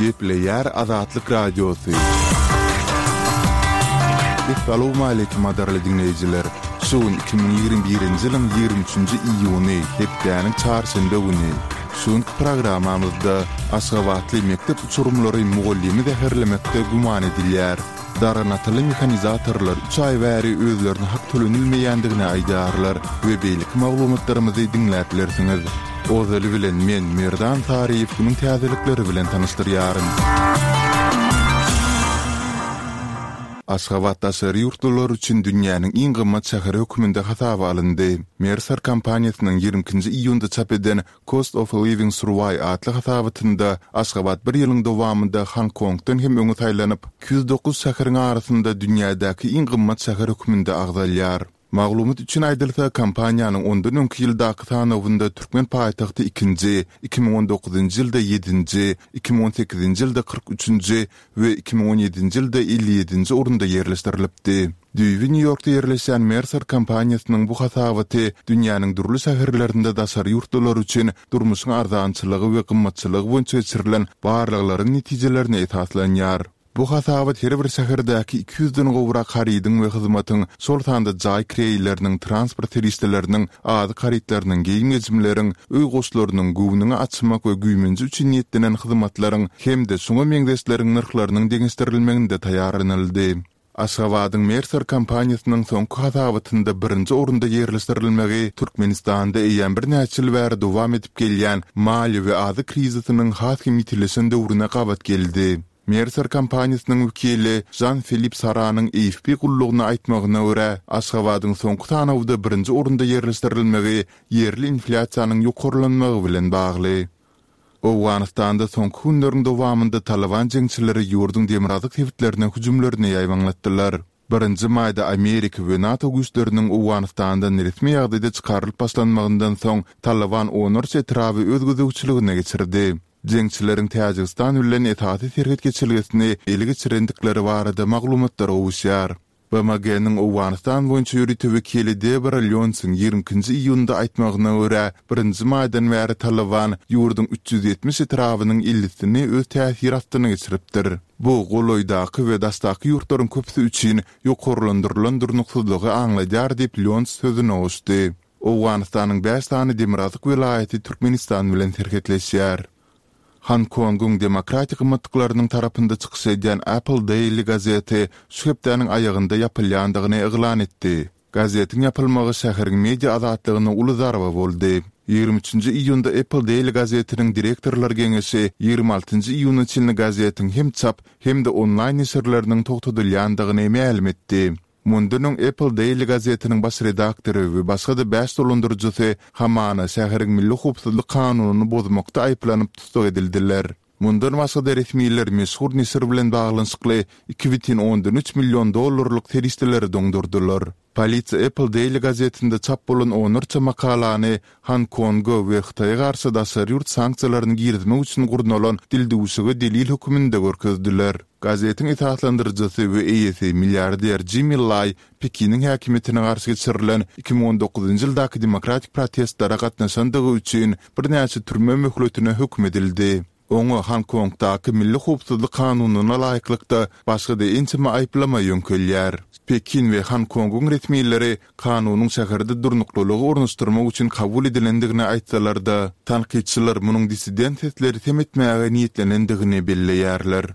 Gepleýär Azatlyk Radiosy. Essalawmaleýkim gadyrly diňleýjiler! Şu gün 2021-nji ýylyň 23-nji iýuny, hepdäniň çarşenbe güni. Şu günki programmamyzda aşgabatly mekdep uçurymlary mugallymy zäherlemekde güman edilýär. Darganataly mehanizatorlar üç aý bäri özlerine hak tölenilmeýändigini aýdýarlar we beýleki maglumatlarymyzy diňläp bilersiňiz. Ozaly bilen men, Merdan Saryýew günüň täzelikleri bilen tanyşdyrýaryn. Aşgabat daşary ýurtlular üçin dünýäniň iň gymmat şäheri hökmünde hasaba alyndy. Mercer kompaniýasynyň 22-nji iýunda çap eden Cost of Living Survey atly hasabatynda Aşgabat bir ýylyň dowamynda Honkongdan hem öňe saýlanyp, 209 şäheriň arasynda dünýädäki iň gymmat şäher hökmünde agzalýar. Maglumat üçin aýdylsa, kompaniýanyň ondan öňki ýyldaky sanawynda türkmen paýtagty ikinji, 2019-njy ýylda ýedinji, 2018-nji ýylda 43-nji we 2017-nji ýylda 57-nji orunda ýerleşdirilipdi. Düýbi Nýu-Ýorkda ýerleşýän Mercer kompaniýasynyň bu hasabaty dünýäniň dürli şäherlerinde daşary ýurtlular üçin durmuşyň arzançylygy we gymmatçylygy boýunça geçirilen barlaglaryň netijelerine esaslanýar. Bu hasabat her bir şäherdäki iki ýüzden gowrak harydyň we hyzmatyň, şol sanda jaý kireýleriniň, transport serişdeleriniň, azyk harytlarynyň, geýim-gejimleriň, öý goşlarynyň, göwnüňi açmak we güýmenje üçin niýetlenen hyzmatlaryň hem-de şuňa meňzeşleriň nyrhlarynyň deňeşdirilmeginde taýýarlanyldy. Aşgabadyň Mercer kompaniýasynyň soňky hasabatynda birinji orunda ýerleşdirilmegi Türkmenistanda eýýäm birnäçe ýyl bäri dowam edip gelýän maliýe we azyk krizisiniň has hem ýitileşen döwrüne gabat geldi. Mercer kompaniýasynyň wekili Žan-Filip Saranyň AFP gullugyna aýtmagyna görä, Aşgabadyň soňky sanawda birinji orunda ýerleşdirilmegi ýerli inflýasiýanyň ýokarlanmagy bilen bagly. Owganystanda soňky günleriň dowamynda Talyban jeňçileri ýurduň demirgazyk sebitlerine hüjümlerini ýaýbaňlatdylar. Birinji maýda Amerika we NATO güýçleriniň Owganystandan resmi ýagdaýda çykarylyp başlanmagyndan soň Talyban onlarça etraby öz gözegçiligine geçirdi. Jeňçileriň Täjigistan bilen esasy serhet geçelgesini ele geçirendikleri barada maglumatlar gowuşýar. BMG-niň Owganystan boýunça ýörite wekili Debora Lýonsyň 22-nji iýunda aýtmagyna görä, birinji maýdan bäri Talyban ýurduň 370 etrabynyň ellisini öz täsiri astyna geçiripdir. Bu, golaýdaky we daşdaky ýurtlaryň köpüsi üçin ýokarlandyrylan durnuksyzlygy aňladýar diýip, Lýons sözüne goşdy. Owganystanyň bäş sany demirgazyk welaýaty Türkmenistan bilen serhetleşýär. Honkongyň demokratik gymmatlyklarynyň tarapynda çykyş edýän Apple Daily gazeti şu hepdäniň aýagynda ýapylýandygyny yglan etdi. Gazetiň ýapylmagy şäheriň media azatlygyna uly zarba boldy. 23-nji iýunda Apple Daily gazetiniň direktorlar geňeşi 26-njy iýuna çenli gazetiň hem çap, hem-de onlaýn neşirleriniň togtadylýandygyny mälim etdi. Mundan öň Apple Daily gazetiniň baş redaktory we başga-da bäş dolandyryjysy hamana şäheriň milli howpsuzlyk kanunyny bozmakda aýyplanyp tussag edildiler. Mundan başga-da resmiler meşhur neşir bilen baglanyşykly 2,3 million dollarlyk serişdeleri doňdurdylar. Polisiýa Apple Daily gazetinde çap bolan onlarça makalany Honkonga we Hytaýa garşy daşary ýurt sanksiýalaryny girizmek üçin gurnalan dildüwşüge delil höküminde görkezdiler. Gazetiň esaslandyryjysy we eýesi milliarder Jimmi Laý Pekiniň häkimiýetine garşy geçirilen 2019-njy ýyldaky demokratik protestlere gatnaşandygy üçin birnäçe türme möhletine höküm edildi. Oňa Honkongdaky milli howpsuzlyk kanunyna laýyklykda başga-da ençeme aýyplama ýöňkelýär. Pekin we Honkongyň resmileri kanunyň şäherde durnuklylygy ornaşdyrmak üçin kabul edilendigini aýtsalar-da, tankytçylar munuň dissident sesleri sem etmäge niýetlenendigini belleýärler.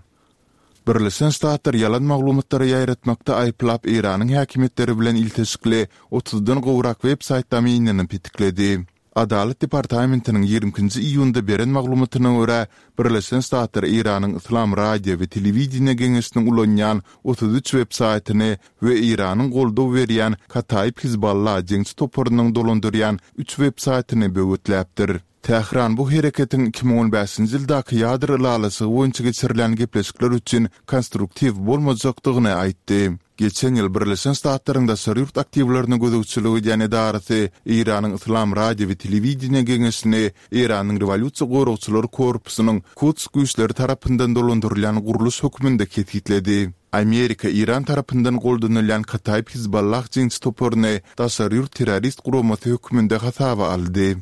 Birleşen Ştatlar ýalan maglumatlary ýaýratmakda aýyplap Eýranyň häkimiýetleri bilen ilteşikli otuzdan gowrak web-saýt domenini petikledi. Adalat departamentiniň 22-nji iýunda beren maglumatyna görä, Birleşen Ştatlar Eýranyň Yslam radio we telewideniýe geňeşiniň ulanýan 33 web-saýtyny we Eýranyň goldaw berýän Kataib Hizballah jeňçi toparynyň dolandyrýan üç web-saýtyny böwetläpdir. Tähran bu hereketiň 2015-nji ýyldaky ýadro ylalaşygy boýunça geçirilýän gepleşikler üçin konstruktiw bolmajakdygyny aýtdy. Geçen ýyl Birleşen Ştatlaryň daşary ýurt aktiwlerine gözegçilik edýän edarasy Eýranyň Yslam radio we telewideniýe geňeşini Eýranyň Rewolýusiýa goragçylary korpusynyň Kuds güýçleri tarapyndan dolandyrylýan gurluş hökmünde kesgitledi. Amerika Eýran tarapyndan goldanylýan Kataib Hizballah jeňçi toparyny daşary ýurt terrorist guramasy hökmünde hasaba aldy.